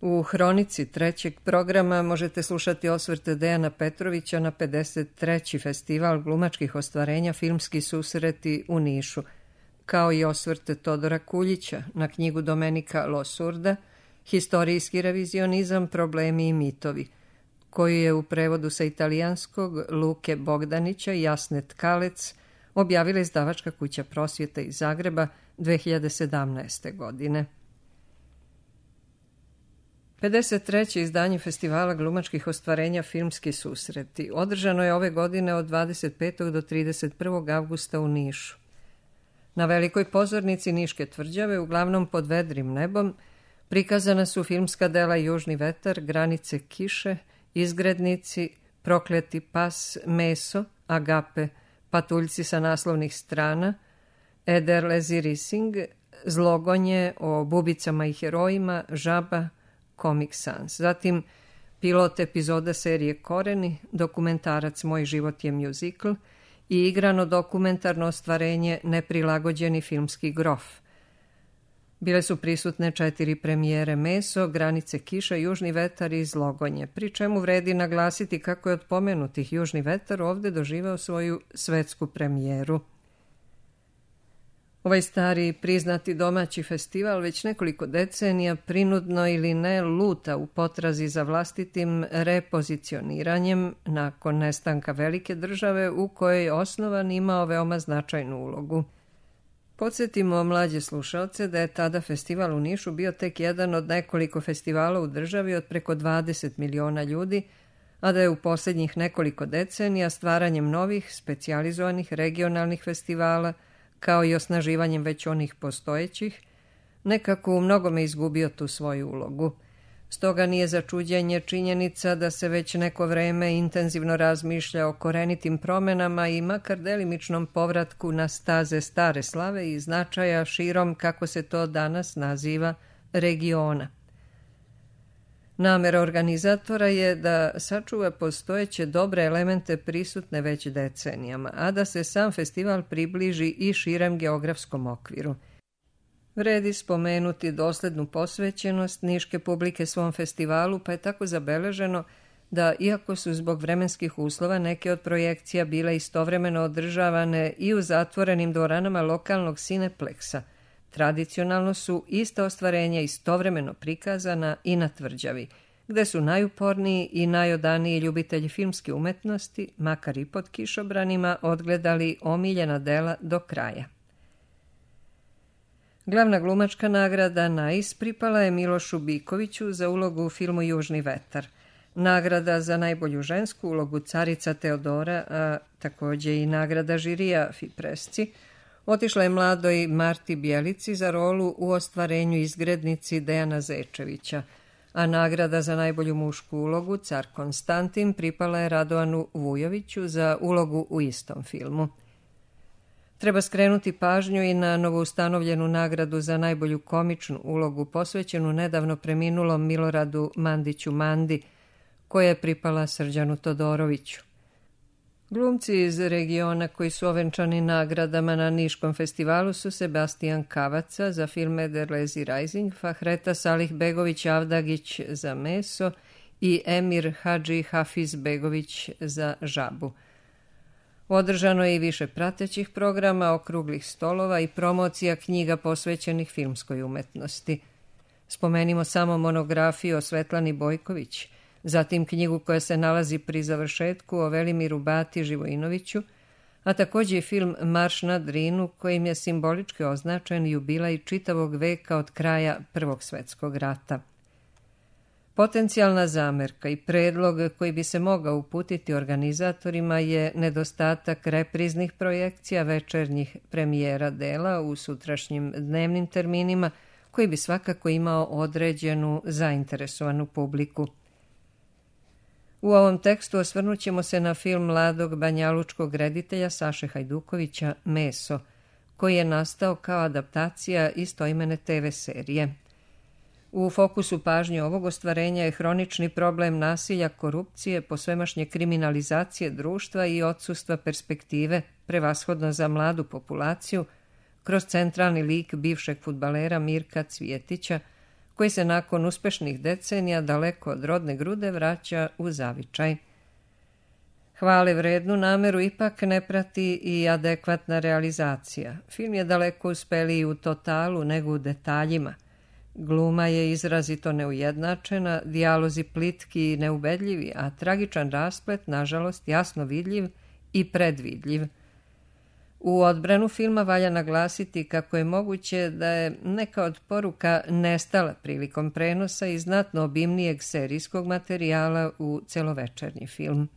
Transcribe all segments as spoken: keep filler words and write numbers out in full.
U hronici trećeg programa možete slušati osvrte Dejana Petrovića na pedeset treći festival glumačkih ostvarenja Filmski susreti u Nišu, kao i osvrte Todora Kuljića na knjigu Domenika Losurda Historijski revizionizam, problemi i mitovi, koju je u prevodu sa italijanskog Luke Bogdanića i Jasne Tkalec objavila izdavačka kuća Prosvjeta iz Zagreba dve hiljade sedamnaeste. godine. pedeset treće izdanje Festivala glumačkih ostvarenja Filmski susreti održano je ove godine od dvadeset petog do trideset prvog avgusta u Nišu. Na velikoj pozornici Niške tvrđave, uglavnom pod vedrim nebom, prikazana su filmska dela Južni vetar, Granice kiše, Izgrednici, Prokleti pas, Meso, Agape, Patuljci sa naslovnih strana, Eder Lezi Rising, Zlogonje o bubicama i herojima, Žaba, Comic Sans. Zatim pilot epizoda serije Koreni, dokumentarac Moj život je mjuzikl i igrano dokumentarno ostvarenje Neprilagođeni filmski grof. Bile su prisutne četiri premijere Meso, Granice kiša, Južni vetar i Zlogonje, pri čemu vredi naglasiti kako je od pomenutih Južni vetar ovde doživeo svoju svetsku premijeru. Ovaj stari priznati domaći festival već nekoliko decenija prinudno ili ne luta u potrazi za vlastitim repozicioniranjem nakon nestanka velike države u kojoj je osnovan imao veoma značajnu ulogu. Podsjetimo mlađe slušalce da je tada festival u Nišu bio tek jedan od nekoliko festivala u državi od preko dvadeset miliona ljudi, a da je u posljednjih nekoliko decenija stvaranjem novih, specijalizovanih regionalnih festivala, kao i osnaživanjem već onih postojećih, nekako u mnogome izgubio tu svoju ulogu. Stoga nije za čuđenje činjenica da se već neko vreme intenzivno razmišlja o korenitim promenama i makar delimičnom povratku na staze stare slave i značaja širom, kako se to danas naziva, regiona. Namera organizatora je da sačuva postojeće dobre elemente prisutne već decenijama, a da se sam festival približi i širem geografskom okviru. Vredi spomenuti doslednu posvećenost niške publike svom festivalu, pa je tako zabeleženo da, iako su zbog vremenskih uslova neke od projekcija bile istovremeno održavane i u zatvorenim dvoranama lokalnog Cinepleksa, tradicionalno su ista ostvarenja istovremeno prikazana i na tvrđavi, gde su najuporniji i najodaniji ljubitelji filmske umetnosti, makar i pod kišobranima, odgledali omiljena dela do kraja. Glavna glumačka nagrada Nais pripala je Milošu Bikoviću za ulogu u filmu Južni vetar. Nagrada za najbolju žensku ulogu Carica Teodora, a također i nagrada žirija Fipresci, otišla je mladoj Marti Bjelici za rolu u ostvarenju Izgrednici Dejana Zečevića, a nagrada za najbolju mušku ulogu Car Konstantin pripala je Radovanu Vujoviću za ulogu u istom filmu. Treba skrenuti pažnju i na novoustanovljenu nagradu za najbolju komičnu ulogu posvećenu nedavno preminulom Miloradu Mandiću Mandi, koja je pripala Srđanu Todoroviću. Glumci iz regiona koji su ovenčani nagradama na Niškom festivalu su Sebastian Kavaca za film Eder Lezi Rising, Fahreta Salih Begović Avdagić za Meso i Emir Hadži Hafiz Begović za Žabu. Održano je i više pratećih programa, okruglih stolova i promocija knjiga posvećenih filmskoj umetnosti. Spomenimo samo monografiju o Svetlani Bojković, zatim knjigu koja se nalazi pri završetku o Velimiru Bati Živojinoviću, a također i film Marš na Drinu, kojim je simbolički označen jubilej čitavog veka od kraja Prvog svjetskog rata. Potencijalna zamerka i predlog koji bi se mogao uputiti organizatorima je nedostatak repriznih projekcija večernjih premijera dela u sutrašnjim dnevnim terminima, koji bi svakako imao određenu zainteresovanu publiku. U ovom tekstu osvrnut ćemo se na film mladog banjalučkog reditelja Saše Hajdukovića Meso, koji je nastao kao adaptacija istoimene te ve serije. U fokusu pažnje ovog ostvarenja je hronični problem nasilja, korupcije, posvemašnje kriminalizacije društva i odsustva perspektive, prevashodno za mladu populaciju, kroz centralni lik bivšeg fudbalera Mirka Cvjetića, koji se nakon uspešnih decenija daleko od rodne grude vraća u zavičaj. Hvale vrednu nameru ipak ne prati i adekvatna realizacija. Film je daleko uspeliji u totalu nego u detaljima. Gluma je izrazito neujednačena, dijalozi plitki i neubedljivi, a tragičan rasplet, nažalost, jasno vidljiv i predvidljiv. U odbranu filma valja naglasiti kako je moguće da je neka od poruka nestala prilikom prenosa iz znatno obimnijeg serijskog materijala u celovečernji film.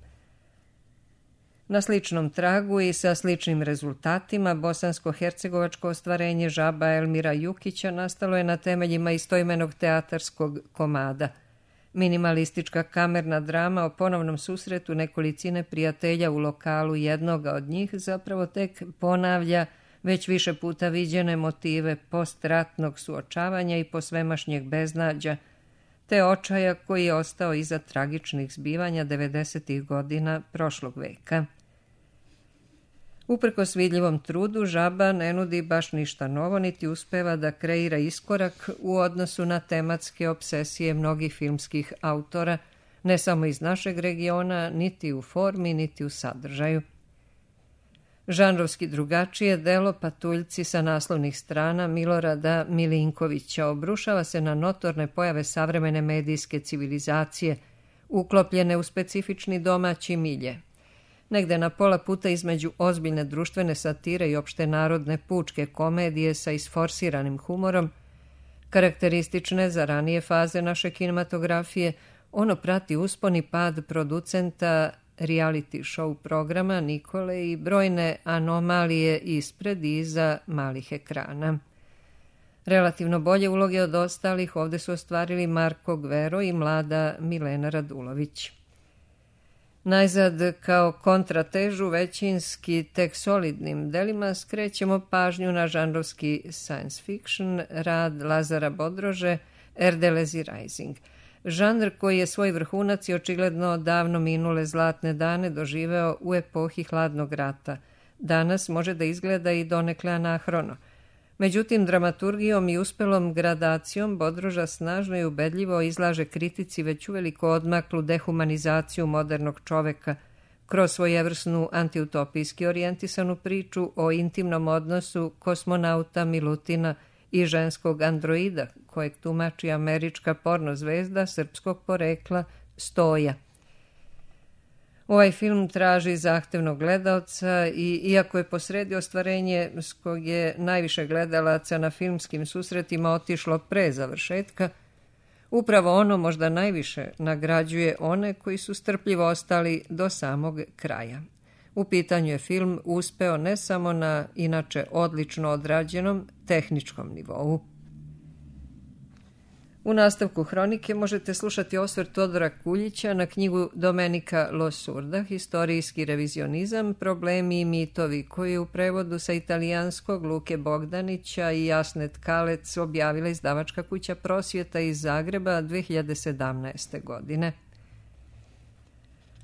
Na sličnom tragu i sa sličnim rezultatima bosansko-hercegovačko ostvarenje Žaba Elmira Jukića nastalo je na temeljima istoimenog teatarskog komada. Minimalistička kamerna drama o ponovnom susretu nekolicine prijatelja u lokalu jednoga od njih zapravo tek ponavlja već više puta viđene motive postratnog suočavanja i posvemašnjeg beznađa, te očaja koji je ostao iza tragičnih zbivanja devedesetih godina prošlog veka. Uprkos vidljivom trudu, Žaba ne nudi baš ništa novo, niti uspeva da kreira iskorak u odnosu na tematske obsesije mnogih filmskih autora, ne samo iz našeg regiona, niti u formi, niti u sadržaju. Žanrovski drugačije delo Patuljci sa naslovnih strana Milorada Milinkovića obrušava se na notorne pojave savremene medijske civilizacije, uklopljene u specifični domaći milje. Negde na pola puta između ozbiljne društvene satire i opšte narodne pučke komedije sa isforsiranim humorom, karakteristične za ranije faze naše kinematografije, ono prati uspon i pad producenta reality show programa Nikole i brojne anomalije ispred i iza malih ekrana. Relativno bolje uloge od ostalih ovde su ostvarili Marko Gvero i mlada Milena Radulović. Najzad, kao kontratežu većinski tek solidnim delima, skrećemo pažnju na žanrovski science fiction rad Lazara Bodrože Erdelezi Rising. Žanr koji je svoj vrhunac i očigledno davno minule zlatne dane doživeo u epohi hladnog rata. Danas može da izgleda i donekle anahrono. Međutim, dramaturgijom i uspelom gradacijom Bodroža snažno i ubedljivo izlaže kritici već uveliko odmaklu dehumanizaciju modernog čoveka kroz svojevrsnu antiutopijski orijentisanu priču o intimnom odnosu kosmonauta Milutina i ženskog androida, kojeg tumači američka porno zvezda srpskog porekla Stoja. Ovaj film traži zahtevnog gledaoca i, iako je posredi ostvarenje s kog je najviše gledalaca na filmskim susretima otišlo pre završetka, upravo ono možda najviše nagrađuje one koji su strpljivo ostali do samog kraja. U pitanju je film uspeo ne samo na inače odlično odrađenom tehničkom nivou. U nastavku hronike možete slušati osvrt Todora Kuljića na knjigu Domenika Losurda, Historijski revizionizam, problemi i mitovi, koji je u prevodu sa italijanskog Luke Bogdanića i Jasne Tkalec objavila izdavačka kuća Prosvjeta iz Zagreba dve hiljade sedamnaeste. godine.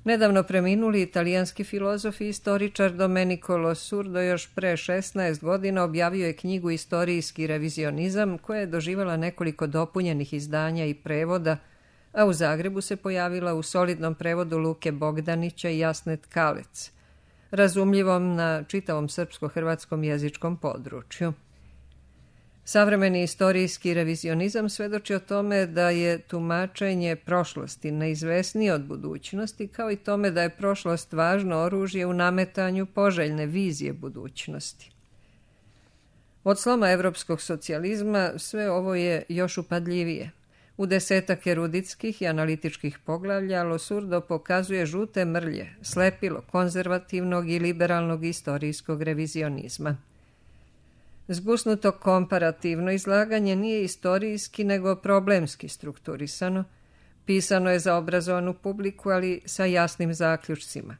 Nedavno preminuli italijanski filozof i istoričar Domenico Losurdo još pre šesnaest godina objavio je knjigu Istorijski revizionizam, koja je doživala nekoliko dopunjenih izdanja i prevoda, a u Zagrebu se pojavila u solidnom prevodu Luke Bogdanića i Jasne Tkalec, razumljivom na čitavom srpsko-hrvatskom jezičkom području. Savremeni istorijski revizionizam svedoči o tome da je tumačenje prošlosti neizvesnije od budućnosti, kao i tome da je prošlost važno oružje u nametanju poželjne vizije budućnosti. Od sloma evropskog socijalizma sve ovo je još upadljivije. U desetak eruditskih i analitičkih poglavlja Losurdo pokazuje žute mrlje, slepilo konzervativnog i liberalnog istorijskog revizionizma. Zgusnuto komparativno izlaganje nije istorijski nego problemski strukturisano. Pisano je za obrazovanu publiku, ali sa jasnim zaključcima.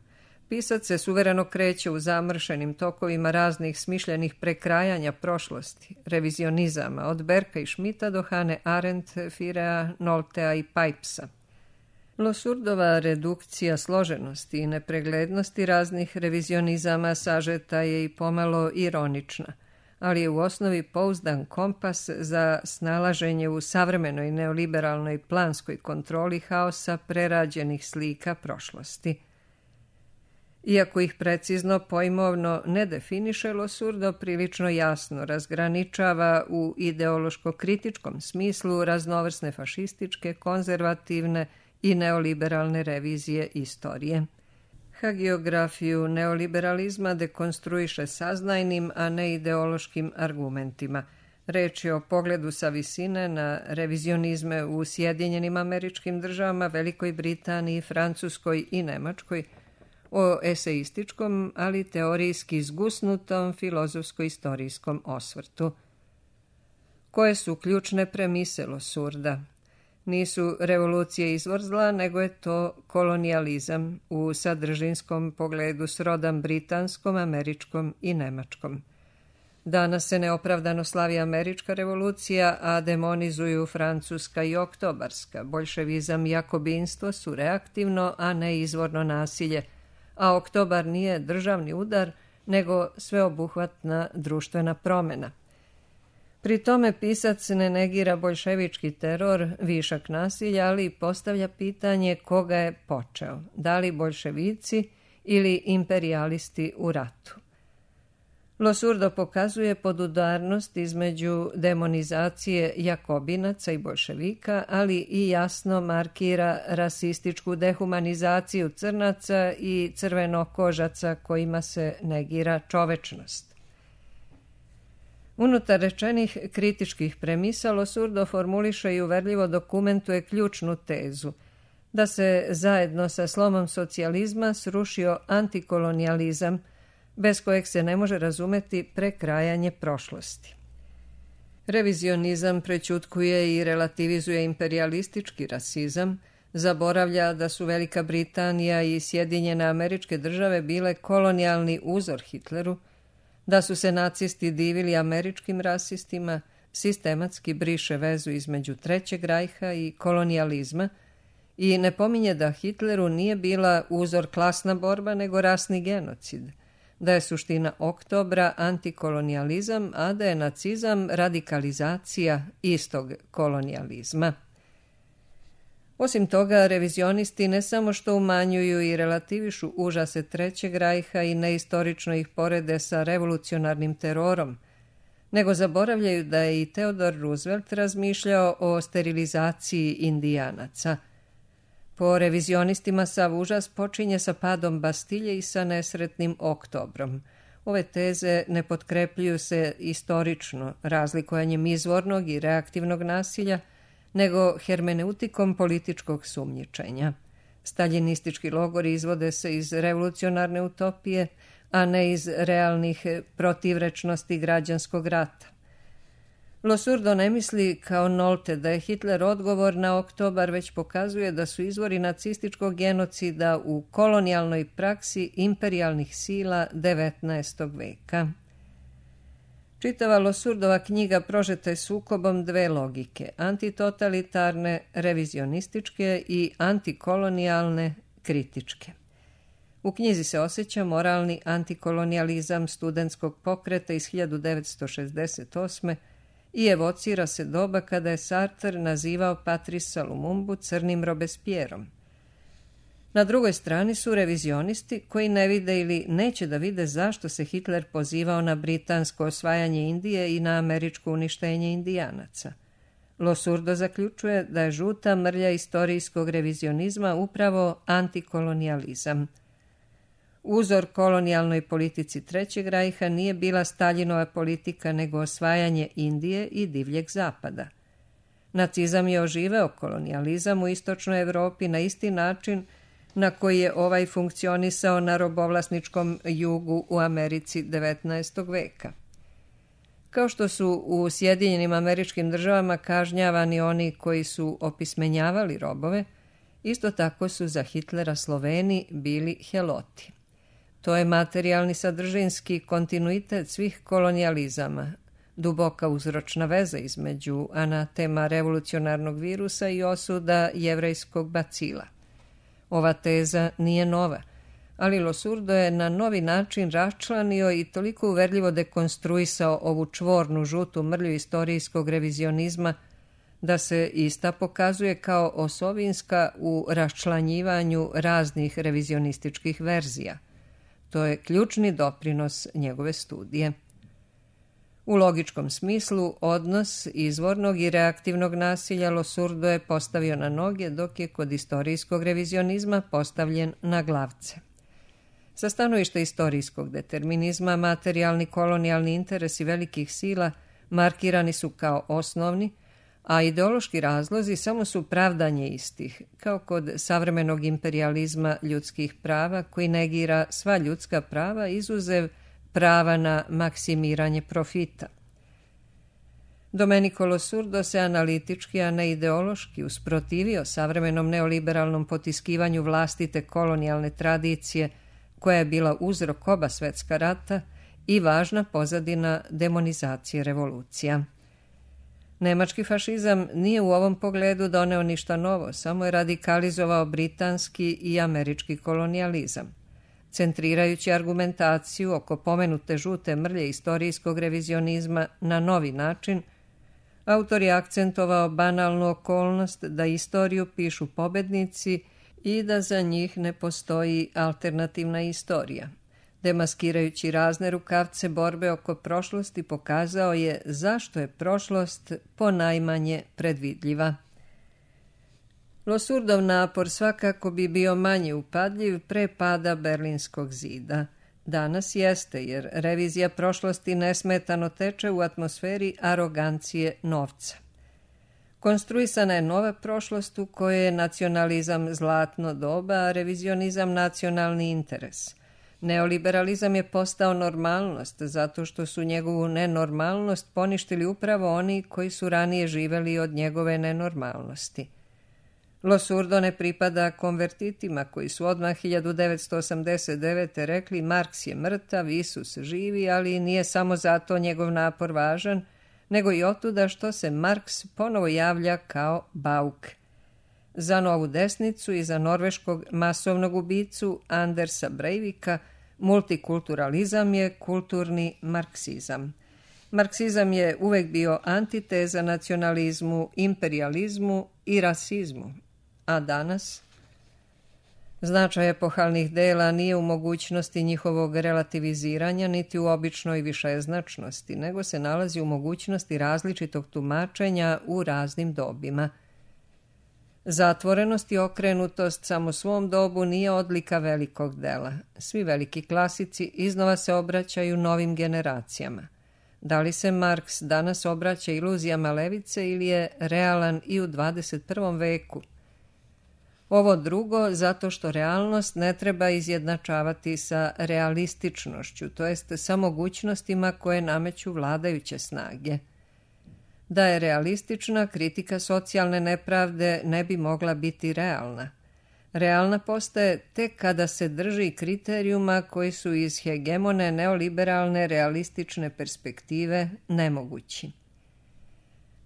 Pisac se suvereno kreće u zamršenim tokovima raznih smišljenih prekrajanja prošlosti, revizionizama, od Berka i Schmidta do Hane Arendt, Firea, Noltea i Pipesa. Losurdova redukcija složenosti i nepreglednosti raznih revizionizama sažeta je i pomalo ironična, ali je u osnovi pouzdan kompas za snalaženje u savremenoj neoliberalnoj planskoj kontroli haosa prerađenih slika prošlosti. Iako ih precizno pojmovno ne definiše, Losurdo prilično jasno razgraničava u ideološko-kritičkom smislu raznovrsne fašističke, konzervativne i neoliberalne revizije istorije. Hagiografiju neoliberalizma dekonstruiše saznajnim, a ne ideološkim argumentima. Reč je o pogledu sa visine na revizionizme u Sjedinjenim Američkim Državama, Velikoj Britaniji, Francuskoj i Nemačkoj, o eseističkom, ali teorijski zgusnutom filozofsko-istorijskom osvrtu. Koje su ključne premise Losurda? Nisu revolucije izvor zla, nego je to kolonijalizam u sadržinskom pogledu srodan britanskom, američkom i nemačkom. Danas se neopravdano slavi američka revolucija, a demonizuju francuska i oktobarska. Boljševizam i jakobinstvo su reaktivno, a ne izvorno nasilje, a oktobar nije državni udar, nego sveobuhvatna društvena promjena. Pri tome pisac ne negira boljševički teror, višak nasilja, ali postavlja pitanje koga je počeo, da li boljševici ili imperijalisti u ratu. Losurdo pokazuje podudarnost između demonizacije jakobinaca i boljševika, ali i jasno markira rasističku dehumanizaciju crnaca i crvenokožaca kojima se negira čovečnost. Unutar rečenih kritičkih premisa Losurdo formuliše i uverljivo dokumentuje ključnu tezu da se zajedno sa slomom socijalizma srušio antikolonijalizam, bez kojeg se ne može razumeti prekrajanje prošlosti. Revizionizam prećutkuje i relativizuje imperijalistički rasizam, zaboravlja da su Velika Britanija i Sjedinjene Američke Države bile kolonijalni uzor Hitleru, da su se nacisti divili američkim rasistima, sistematski briše vezu između Trećeg rajha i kolonijalizma i ne pominje da Hitleru nije bila uzor klasna borba, nego rasni genocid, da je suština oktobra antikolonijalizam, a da je nacizam radikalizacija istog kolonijalizma. Osim toga, revizionisti ne samo što umanjuju i relativišu užase Trećeg rajha i neistorično ih porede sa revolucionarnim terorom, nego zaboravljaju da je i Theodore Roosevelt razmišljao o sterilizaciji indijanaca. Po revizionistima sav užas počinje sa padom Bastilje i sa nesretnim oktobrom. Ove teze ne potkrepljuju se istorično razlikovanjem izvornog i reaktivnog nasilja, nego hermeneutikom političkog sumnjičenja. Staljinistički logori izvode se iz revolucionarne utopije, a ne iz realnih protivrečnosti građanskog rata. Losurdo ne misli kao Nolte da je Hitler odgovor na oktobar, već pokazuje da su izvori nacističkog genocida u kolonijalnoj praksi imperijalnih sila devetnaestog veka. Čitava Losurdova knjiga prožeta je sukobom dve logike, antitotalitarne, revizionističke i antikolonijalne, kritičke. U knjizi se osjeća moralni antikolonijalizam studentskog pokreta iz hiljadu devetsto šezdeset osme i evocira se doba kada je Sartre nazivao Patrisa Lumumbu crnim Robespierrom. Na drugoj strani su revizionisti koji ne vide ili neće da vide zašto se Hitler pozivao na britansko osvajanje Indije i na američko uništenje Indijanaca. Losurdo zaključuje da je žuta mrlja istorijskog revizionizma upravo antikolonijalizam. Uzor kolonijalnoj politici Trećeg rajha nije bila Staljinova politika, nego osvajanje Indije i divljeg zapada. Nacizam je oživeo kolonijalizam u istočnoj Evropi na isti način na koji je ovaj funkcionisao na robovlasničkom jugu u Americi devetnaestog veka. Kao što su u Sjedinjenim Američkim Državama kažnjavani oni koji su opismenjavali robove, isto tako su za Hitlera Sloveni bili heloti. To je materijalni sadržinski kontinuitet svih kolonijalizama, duboka uzročna veza između anatema revolucionarnog virusa i osuda jevrejskog bacila. Ova teza nije nova, ali Losurdo je na novi način raščlanio i toliko uverljivo dekonstruisao ovu čvornu žutu mrlju istorijskog revizionizma da se ista pokazuje kao osovinska u raščlanjivanju raznih revizionističkih verzija. To je ključni doprinos njegove studije. U logičkom smislu, odnos izvornog i reaktivnog nasilja Losurdo je postavio na noge, dok je kod istorijskog revizionizma postavljen na glavce. Sa stanovišta istorijskog determinizma, materijalni kolonijalni interesi velikih sila markirani su kao osnovni, a ideološki razlozi samo su pravdanje istih, kao kod savremenog imperijalizma ljudskih prava koji negira sva ljudska prava izuzev prava na maksimiranje profita. Domenico Losurdo se analitički, a ne ideološki, usprotivio savremenom neoliberalnom potiskivanju vlastite kolonijalne tradicije koja je bila uzrok oba svetska rata i važna pozadina demonizacije revolucija. Nemački fašizam nije u ovom pogledu doneo ništa novo, samo je radikalizovao britanski i američki kolonijalizam. Centrirajući argumentaciju oko pomenute žute mrlje istorijskog revizionizma na novi način, autor je akcentovao banalnu okolnost da istoriju pišu pobednici i da za njih ne postoji alternativna istorija. Demaskirajući razne rukavce borbe oko prošlosti, pokazao je zašto je prošlost ponajmanje predvidljiva. Losurdov napor svakako bi bio manje upadljiv pre pada Berlinskog zida. Danas jeste, jer revizija prošlosti nesmetano teče u atmosferi arogancije novca. Konstruisana je nova prošlost u kojoj je nacionalizam zlatno doba, a revizionizam nacionalni interes. Neoliberalizam je postao normalnost, zato što su njegovu nenormalnost poništili upravo oni koji su ranije živeli od njegove nenormalnosti. Losurdo ne pripada konvertitima koji su odmah hiljadu devetsto osamdeset devete. rekli Marks je mrtav, Isus živi, ali nije samo zato njegov napor važan, nego i otuda što se Marks ponovo javlja kao bauk. Za novu desnicu i za norveškog masovnog ubicu Andersa Breivika multikulturalizam je kulturni marksizam. Marksizam je uvek bio antiteza nacionalizmu, imperijalizmu i rasizmu. A danas? Značaj epohalnih dela nije u mogućnosti njihovog relativiziranja niti u običnoj višeznačnosti, nego se nalazi u mogućnosti različitog tumačenja u raznim dobima. Zatvorenost i okrenutost samo svom dobu nije odlika velikog dela. Svi veliki klasici iznova se obraćaju novim generacijama. Da li se Marks danas obraća iluzijama levice ili je realan i u dvadeset prvom veku? Ovo drugo zato što realnost ne treba izjednačavati sa realističnošću, to jest sa mogućnostima koje nameću vladajuće snage. Da je realistična, kritika socijalne nepravde ne bi mogla biti realna. Realna postaje tek kada se drži kriterijuma koji su iz hegemone neoliberalne realistične perspektive nemogući.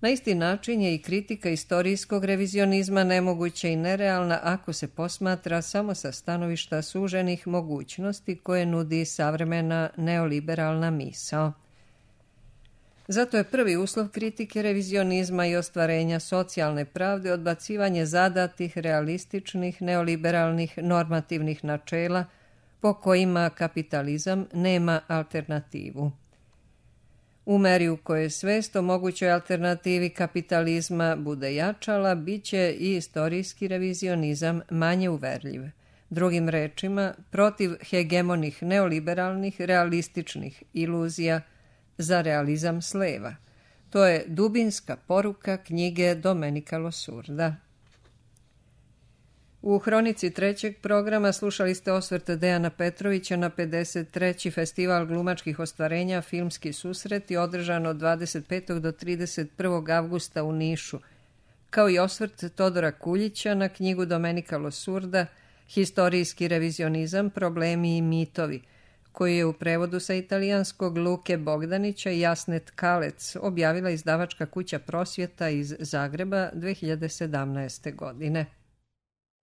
Na isti način je i kritika istorijskog revizionizma nemoguća i nerealna ako se posmatra samo sa stanovišta suženih mogućnosti koje nudi savremena neoliberalna misao. Zato je prvi uslov kritike revizionizma i ostvarenja socijalne pravde odbacivanje zadatih, realističnih, neoliberalnih, normativnih načela po kojima kapitalizam nema alternativu. U meri u kojoj svest o mogućoj alternativi kapitalizma bude jačala, bit će i istorijski revizionizam manje uverljiv. Drugim rečima, protiv hegemonih neoliberalnih, realističnih iluzija za realizam sleva. To je dubinska poruka knjige Domenica Losurda. U hronici trećeg programa slušali ste osvrt Dejana Petrovića na pedeset treći Festival glumačkih ostvarenja Filmski susreti održan od dvadeset petog do trideset prvog avgusta u Nišu, kao i osvrt Todora Kuljića na knjigu Domenica Losurda Historijski revizionizam, problemi i mitovi, koji je u prevodu sa italijanskog Luke Bogdanića i Jasne Tkalec objavila izdavačka kuća Prosvjeta iz Zagreba dve hiljade sedamnaeste. godine.